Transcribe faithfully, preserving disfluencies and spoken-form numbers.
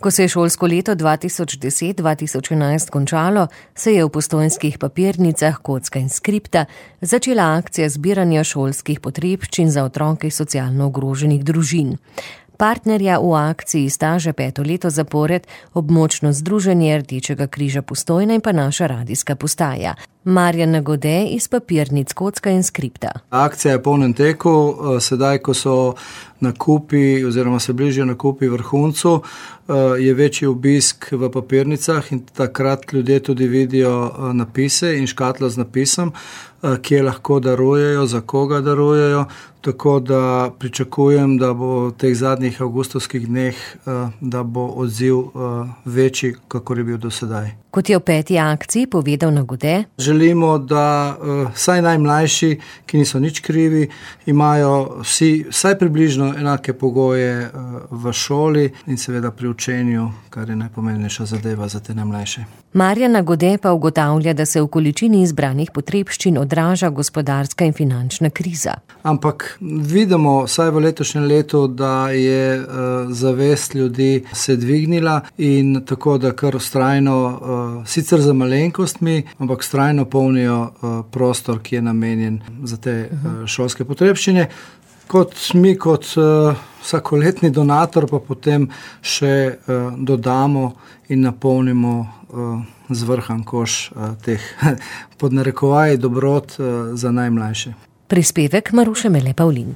Ko se je šolsko leto dva tisoč deset dva tisoč enajst končalo, se je v Postojnskih papirnicah Kocka in Skripta začela akcija zbiranja šolskih potrebščin za otroke socialno ogroženih družin. Partnerja v akciji sta že peto leto zapored območno združenje Rdečega križa Postojna in pa naša radijska postaja. Marjana Gode iz papirnic Kocka in Skripta. Akcija je v polnem teku, sedaj, ko so nakupi oziroma se bližajo nakupi vrhuncu, je večji obisk v papirnicah in takrat ljudje tudi vidijo napise in škatlo z napisom, kje lahko darujejo, za koga darujejo, tako da pričakujem, da bo v teh zadnjih avgustovskih dneh, da bo odziv večji, kakor je bil do sedaj. Kot je v peti akciji povedal Nagode, želimo, da vsaj najmlajši, ki niso nič krivi, imajo vsi vsaj približno enake pogoje v šoli in seveda pri učenju, kar je najpomembnejša zadeva za te najmlajše. Marjana Gode pa ugotavlja, da se v količini izbranih potrebščin odraža gospodarska in finančna kriza. Ampak vidimo vsaj v letošnjem letu, da je zavest ljudi se dvignila in tako, da kar vztrajno, sicer za malenkostmi, ampak vztrajno polnijo prostor, ki je namenjen za te šolske potrebščine. Kot mi, kot vsakoletni donator, pa potem še dodamo in napolnimo zvrhan koš teh pod narekovaji dobrot za najmlajše. Prispevek Maruše Mele Pavlin.